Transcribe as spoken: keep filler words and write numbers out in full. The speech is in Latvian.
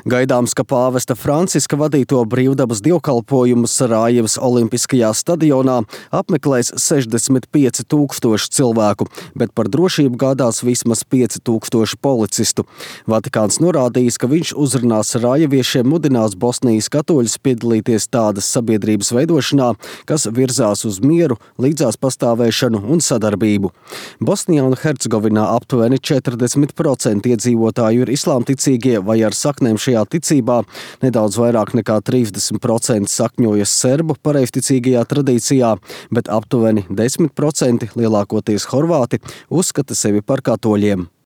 Gaidāms, ka pāvesta Franciska vadīto brīvdabas dievkalpojumu Sarajevas Olimpiskajā stadionā apmeklēs sešdesmit pieci tūkstoši cilvēku, bet par drošību gādās vismaz pieci tūkstoši policistu. Vatikāns norādījis, ka viņš uzrunās sarajeviešiem mudinās Bosnijas katoļus piedalīties tādas sabiedrības veidošanā, kas virzās uz mieru, līdzās pastāvēšanu un sadarbību. Bosnijā un Hercegovinā aptuveni četrdesmit procenti iedzīvotāju ir islāmticīgie vai ar saknēm šajā ticībā, nedaudz vairāk nekā trīsdesmit procenti sakņojas serbu pareizticīgajā tradīcijā, bet aptuveni desmit procenti, lielākoties horvāti, uzskata sevi par katoļiem.